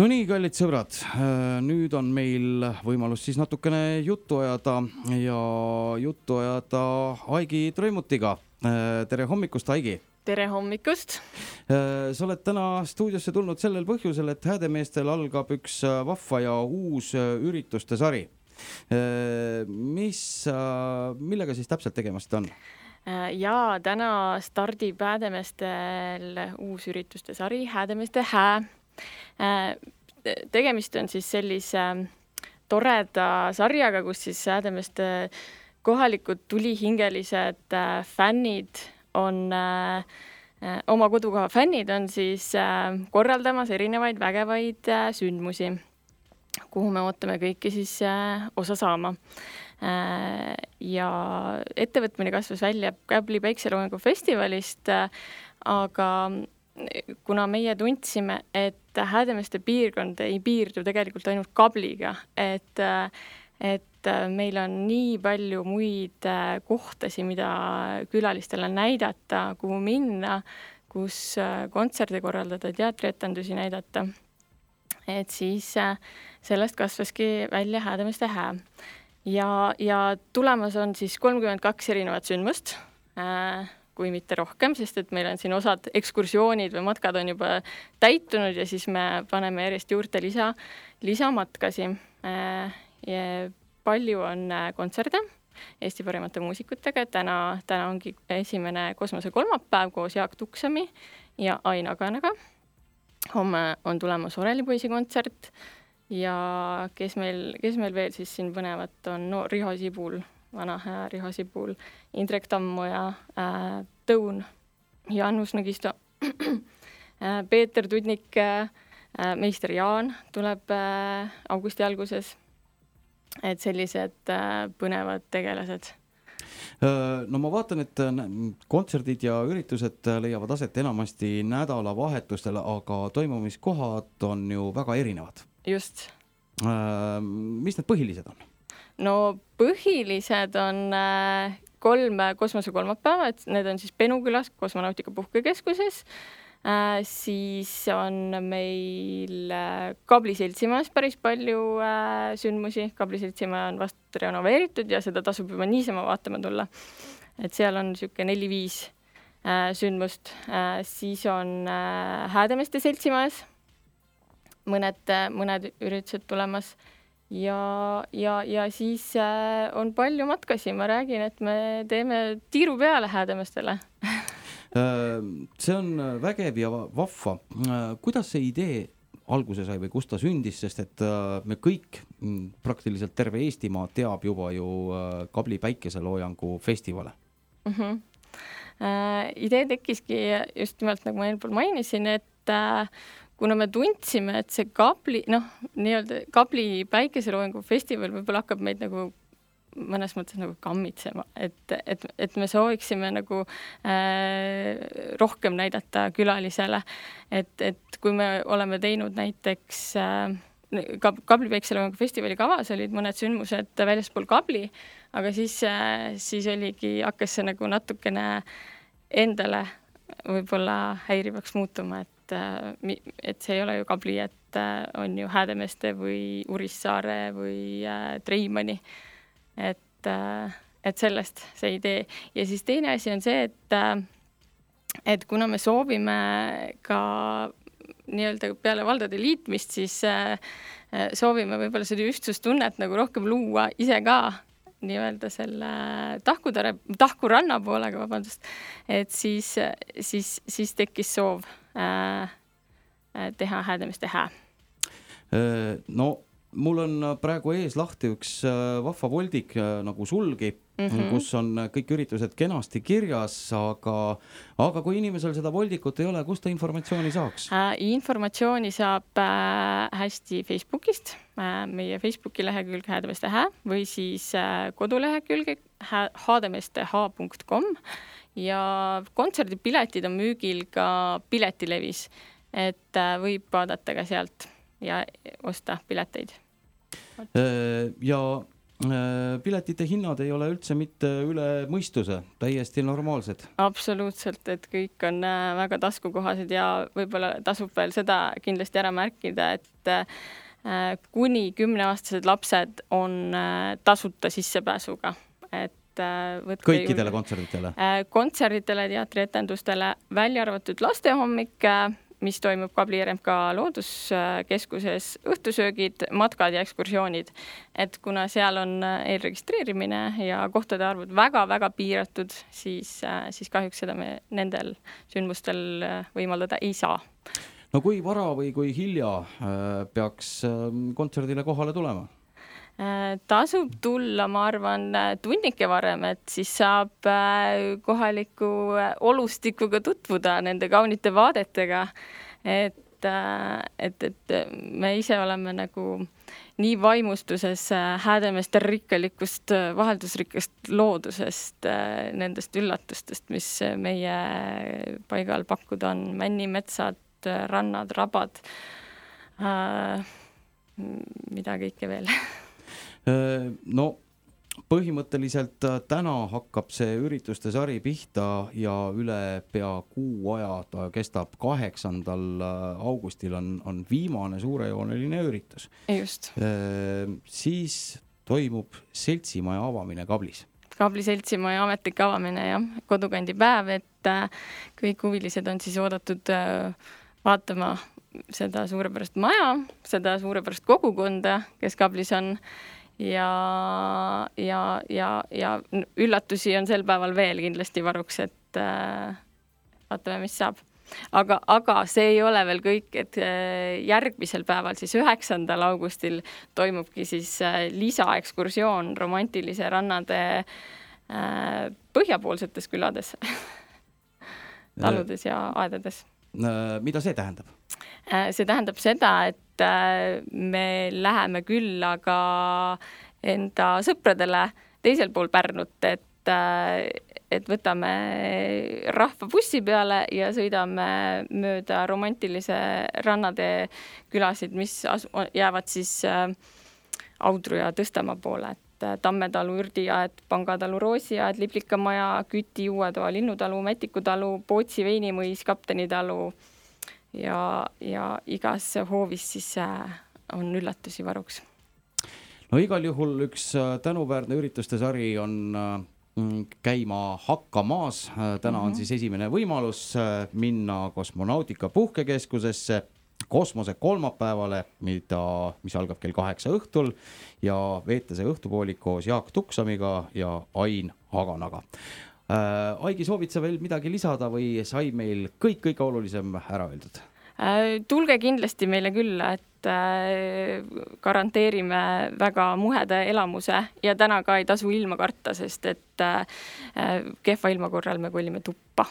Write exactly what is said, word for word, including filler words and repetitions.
No nii, kallid sõbrad, nüüd on meil võimalus siis natukene juttu ajada ja juttu ajada Aigi Trõimutiga. Tere hommikust, Aigi! Tere hommikust! Sa oled täna stuudiosse tulnud sellel põhjusel, et Häädemeestel algab üks vahva ja uus ürituste sari. Mis, millega siis täpselt tegemast on? Ja täna stardib Häädemeestel uus ürituste sari Häädemeeste hää. Tegemist on siis sellise toreda sarjaga, kus siis Häädemeeste kohalikud tulihingelised fännid on, oma kodukoha fännid on siis korraldamas erinevaid vägevaid sündmusi, kuhu me ootame kõiki siis osa saama. Ja ettevõtmine kasvas välja Käbli päikseloojangu festivalist, aga kuna meie tundsime, et Häädemeeste piirkond ei piirdu tegelikult ainult Kabliga, et, et meil on nii palju muid kohtasi, mida külalistele näidata, kuhu minna, kus kontserte korraldada, teatrietendusi näidata. Et siis sellest kasvaski välja Häädemeeste hää. Ja, ja tulemas on siis kolmkümmend kaks erinevat sündmust, kui mitte rohkem, sest et meil on siin osad ekskursioonid või matkad on juba täitunud ja siis me paneme järjest juurde lisa, lisamatkasi. Ja palju on kontserte Eesti parimate muusikutega. Täna, täna ongi esimene kosmose kolmapäev koos Jaak Tuksami ja Ain Aganaga. Homme on tulemas Orelipoisi kontsert ja kes meil, kes meil veel siis siin põnevat on no, Riho Sibul, vana hää Riho Sibul, Indrek Tammoja, äh, Tõun, Janus Nõgisto, äh, Peeter Tudnik, äh, meister Jaan tuleb äh, augusti alguses. Et sellised äh, põnevad tegelased. No ma vaatan, et kontserdid ja üritused leiavad aset enamasti nädalavahetustel, aga toimumiskohad on ju väga erinevad. Just. Äh, mis need põhilised on? No põhilised on äh, kolm kosmose kolmapäeva, et need on siis Penukülas kosmonautika puhkekeskuses, äh, siis on meil äh, Kabli seltsimajas päris palju äh, sündmusi. Kabli seltsimaja on vast renoveeritud ja seda tasub juba niisama vaatama tulla. Et seal on siuke neli-viis äh, sündmust. Äh, siis on äh, Häädemeeste seltsimajas mõned, mõned üritused tulemas. Ja, ja, ja siis äh, on palju matkasi. Ma räägin, et me teeme tiiru peale Häädemeestele. See on vägev ja vahva. Kuidas see idee alguse sai või kus ta sündis, sest et me kõik, praktiliselt terve Eestimaa teab juba ju Kabli päikeseloojangu festivale? Uh-huh. Äh, idee tekkiski just nimelt, nagu ma eelpool mainisin, et äh, kuna me tundsime, et see Kabli, noh, nii-öelda Kabli päikeseloojangu festival võib-olla hakkab meid nagu mõnes mõttes nagu kammitsema, et, et, et me sooviksime nagu äh, rohkem näidata külalisele, et, et kui me oleme teinud näiteks äh, Kabli päikeseloojangu festivali kavas olid mõned sündmused väljaspool Kabli, aga siis, äh, siis oligi, hakkas see nagu natukene endale võib-olla häirivaks muutuma, et et see ei ole ju Kabli, et on ju Häädemeeste või Urissaare või Treimani. Et, et sellest see idee. Ja siis teine asi on see, et, et kuna me soovime ka nii-öelda peale valdade liitmist, siis soovime võib-olla seda ühtsustunnet nagu rohkem luua ise ka nii-öelda selle tahkutare, tahkuranna poolega, vabandust, et siis, siis, siis tekkis soov äh, teha Häädemeeste hää. No, mul on praegu ees lahti üks vahva voldik nagu sulgi, mm-hmm. kus on kõik üritused kenasti kirjas, aga, aga kui inimesel seda voldikut ei ole, kus ta informatsiooni saaks? Äh, informatsiooni saab äh, hästi Facebookist, äh, meie Facebooki lehekülg Häädemeeste hää või siis äh, kodulehekülg haademeestehaa punkt com ja kontserdipiletid on müügil ka Piletilevis, et äh, võib vaadata ka sealt ja osta pileteid. Ja piletite hinnad ei ole üldse mitte üle mõistuse, täiesti normaalsed. Absoluutselt, et kõik on väga taskukohased ja võib-olla tasub veel seda kindlasti ära märkida, et kuni kümneaastased lapsed on tasuta sissepääsuga, et kõikidele juurde. kontserditele? Kontserditele, teatrietendustele, välja arvatud lastehommik, mis toimub Kabli R M K looduskeskuses, õhtusöögid, matkad ja ekskursioonid. Et kuna seal on eelregistreerimine ja kohtade arvud väga-väga piiratud, siis, siis kahjuks seda me nendel sündmustel võimaldada ei saa. No kui vara või kui hilja peaks kontserdile kohale tulema? Tasub tulla, ma arvan, tunnike varem, et siis saab kohaliku olustikuga tutvuda nende kaunite vaadetega, et, et, et me ise oleme nagu nii vaimustuses Häädemeeste rikkalikust, vaheldusrikkast loodusest, nendest üllatustest, mis meie paigal pakkuda on, männimetsad, rannad, rabad, mida kõike veel. No põhimõtteliselt täna hakkab see ürituste sari pihta ja üle pea kuu aja ta kestab. Kaheksandal augustil on, on viimane suurejooneline üritus. Just. Siis toimub seltsimaja avamine Kablis. Kabli seltsimaja ametlik avamine ja kodukandi päev, et kõik huvilised on siis oodatud vaatama seda suurepärast maja, seda suurepärast kogukonda, kes Kablis on. Ja, ja, ja, ja üllatusi on sel päeval veel kindlasti varuks, et äh, vaatame, mis saab. Aga, aga see ei ole veel kõik, et äh, järgmisel päeval, siis üheksandal augustil toimubki siis äh, lisaekskursioon romantilise rannade äh, põhjapoolsetes külades, taludes ja aedades. Mida see tähendab? See tähendab seda, et me läheme külla ka enda sõpradele teisel pool Pärnut, et, et võtame rahva bussi peale ja sõidame mööda romantilise rannade külasid, mis asu, jäävad siis Audru ja Tõstamaa poole, et Tammetalu, Ürdiaed, Pangatalu, Roosiaed, Liplikamaja, Küti, Uuetoa, Linnutalu, Mätikutalu, Pootsi, Veinimõis, Kaptenitalu ja, ja igas hoovis siis on üllatusi varuks. No igal juhul üks tänuväärne ürituste sari on käima hakkamas. Täna on siis esimene võimalus minna kosmonautika puhkekeskusesse kosmose kolmapäevale, mida, mis algab kell kaheksa õhtul ja veeta see õhtupoolik koos Jaak Tuksamiga ja Ain Haganaga. Äh, Aigi, soovid sa veel midagi lisada või sai meil kõik kõige olulisem ära öeldud? Äh, tulge kindlasti meile külla, et äh, garanteerime väga muheda elamuse ja täna ka ei tasu ilma karta, sest et äh, kehva ilma korral me kolime tuppa.